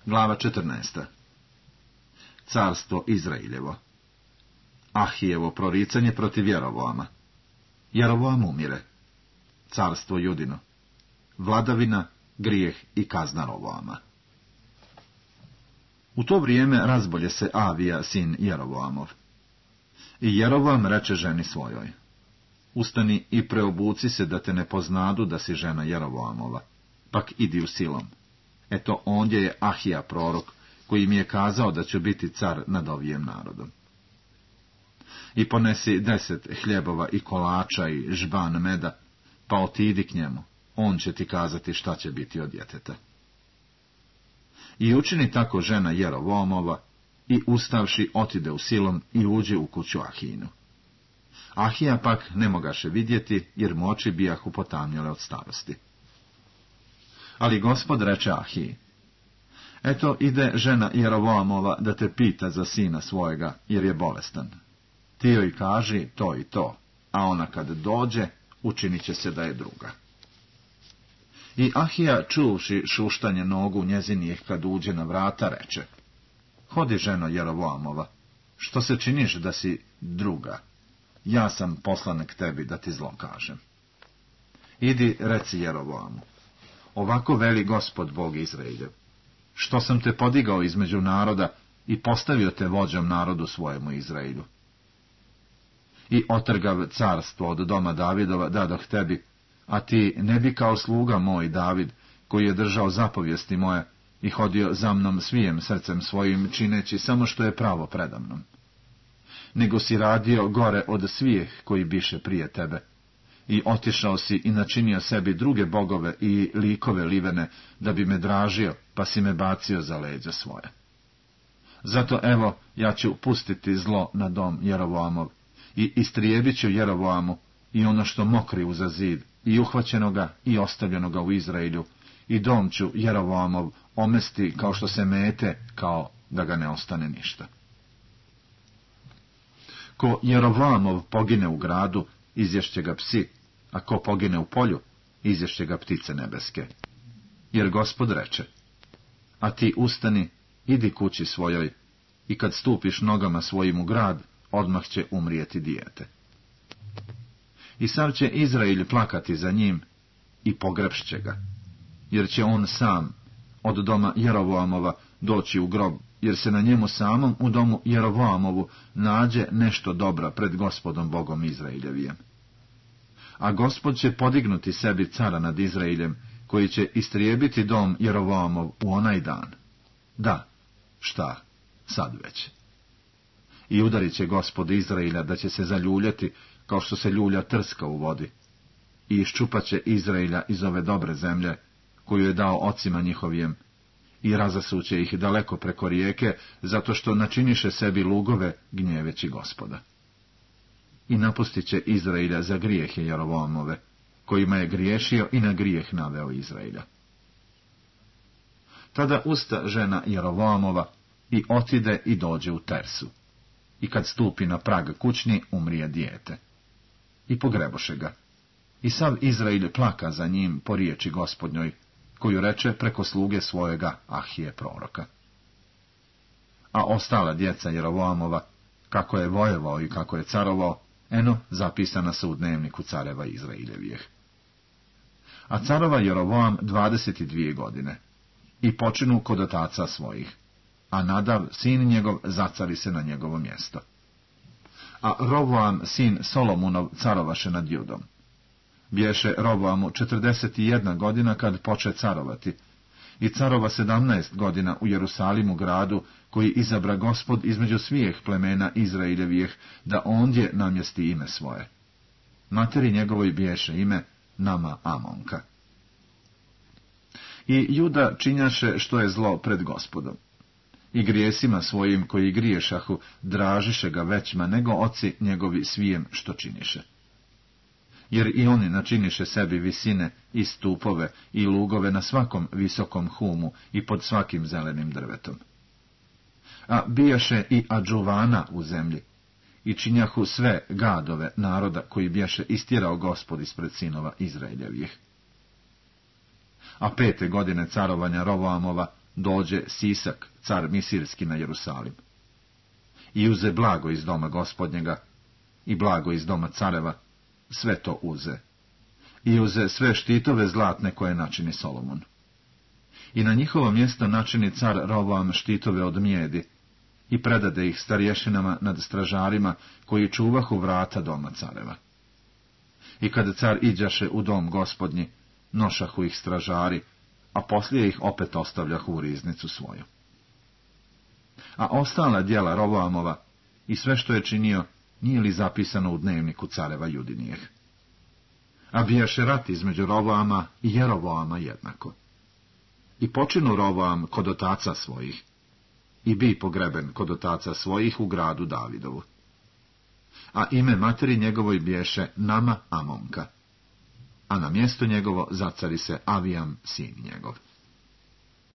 Glava 14. Carstvo Izrailjevo. Ahijevo proricanje protiv Jerovoama. Jerovoam umire. Carstvo Judino. Vladavina, grijeh i kazna Rovoama. U to vrijeme razbolje se Avija, sin Jerovoamov. I Jerovoam reče ženi svojoj: Ustani i preobuci se, da te ne poznadu da si žena Jerovoamova, pak idi u Silom. Eto, ondje je Ahija prorok, koji mi je kazao da ću biti car nad ovijem narodom. I ponesi 10 hljebova i kolača i žban meda, pa otidi k njemu, on će ti kazati šta će biti od djeteta. I učini tako žena Jerovoamova, i ustavši otide u Silom i uđe u kuću Ahijinu. Ahija pak ne mogaše vidjeti, jer mu oči bijahu potamnjele od starosti. Ali Gospod reče Ahiji: Eto, ide žena Jerovoamova da te pita za sina svojega, jer je bolestan. Ti joj kaži to i to, a ona kad dođe, učinit će se da je druga. I Ahija, čuvši šuštanje nogu njezinijih kad uđe na vrata, reče: Hodi, ženo Jerovoamova, što se činiš da si druga? Ja sam poslan k tebi da ti zlo kažem. Idi, reci Jerovoamu: Ovako veli Gospod Bog Izraeljev: Što sam te podigao između naroda i postavio te vođom narodu svojemu Izraelju. I otrgav carstvo od doma Davidova dadoh tebi, a ti ne bi kao sluga moj David, koji je držao zapovijesti moje i hodio za mnom svijem srcem svojim, čineći samo što je pravo predamnom. Nego si radio gore od svijeh koji biše prije tebe, i otišao si i načinio sebi druge bogove i likove livene, da bi me dražio, pa si me bacio za leđa svoje. Zato evo, ja ću pustiti zlo na dom Jerovoamov, i istrijebit ću Jerovoamu i ono što mokri uza zid, i uhvaćenoga i ostavljenoga u Izraelju, i dom ću Jerovoamov omesti kao što se mete, kao da ga ne ostane ništa. Ko Jerovoamov pogine u gradu, izješće ga psi, a ko pogine u polju, izješće ga ptice nebeske. Jer Gospod reče: A ti ustani, idi kući svojoj, i kad stupiš nogama svojim u grad, odmah će umrijeti dijete. I sav će Izrael plakati za njim i pogrebšće ga, jer će on sam od doma Jerovoamova doći u grob, jer se na njemu samom u domu Jerovoamovu nađe nešto dobra pred Gospodom Bogom Izraeljevijem. A Gospod će podignuti sebi cara nad Izraeljem, koji će istrijebiti dom Jerovoamov u onaj dan. Da, šta, sad već. I udarit će Gospod Izraelja da će se zaljuljati, kao što se ljulja trska u vodi, i iščupat će Izraelja iz ove dobre zemlje, koju je dao ocima njihovijem, i razasuće ih daleko preko rijeke, zato što načiniše sebi lugove, gnjeveći Gospoda. I napustit će Izraelja za grijehe Jerovoamove, kojima je griješio i na grijeh naveo Izraelja. Tada usta žena Jerovoamova i otide i dođe u Tersu. I kad stupi na prag kućni, umrije dijete. I pogreboše ga. I sav Izrael plaka za njim po riječi Gospodnjoj, koju reče preko sluge svojega Ahije proroka. A ostala djeca Jerovoamova, kako je vojevao i kako je carovao, eno, zapisana su u dnevniku careva Izraeljevijeh. A carova Jerovoam 22 godine, i počinu kod otaca svojih, a Nadav, sin njegov, zacari se na njegovo mjesto. A Rovoam, sin Solomunov, carovaše nad Judom. Bješe Rovoamu 41 godina kad poče carovati, i carova 17 godina u Jerusalimu gradu, koji izabra Gospod između svijeh plemena Izraeljevijeh, da ondje namjesti ime svoje. Materi njegovoj bješe ime Nama Amonka. I Juda činjaše što je zlo pred Gospodom. I grijesima svojim koji griješahu dražiše ga većma nego oci njegovi svijem što činiše. Jer i oni načiniše sebi visine i stupove i lugove na svakom visokom humu i pod svakim zelenim drvetom. A bijaše i adžuvana u zemlji, i činjahu sve gadove naroda koji bješe istjerao Gospod ispred sinova Izraeljevih. A 5. godine carovanja Rovoamova dođe Sisak, car Misirski, na Jerusalim. I uze blago iz doma Gospodnjega, i blago iz doma careva, sve to uze. I uze sve štitove zlatne koje načini Solomon. I na njihovo mjesto načini car Roboam štitove od mjedi, i predade ih starješinama nad stražarima koji čuvahu vrata doma careva. I kada car iđaše u dom Gospodnji, nošahu ih stražari, a poslije ih opet ostavljahu u riznicu svoju. A ostala djela Roboamova i sve što je činio, nije li zapisano u dnevniku careva Judinijeh? A bijaše rat između Roboama i Jeroboama jednako. I počinu Roboam kod otaca svojih, i bi pogreben kod otaca svojih u gradu Davidovu. A ime materi njegovoj biješe Nama Amonka, a na mjesto njegovo zacari se Avijam, sin njegov.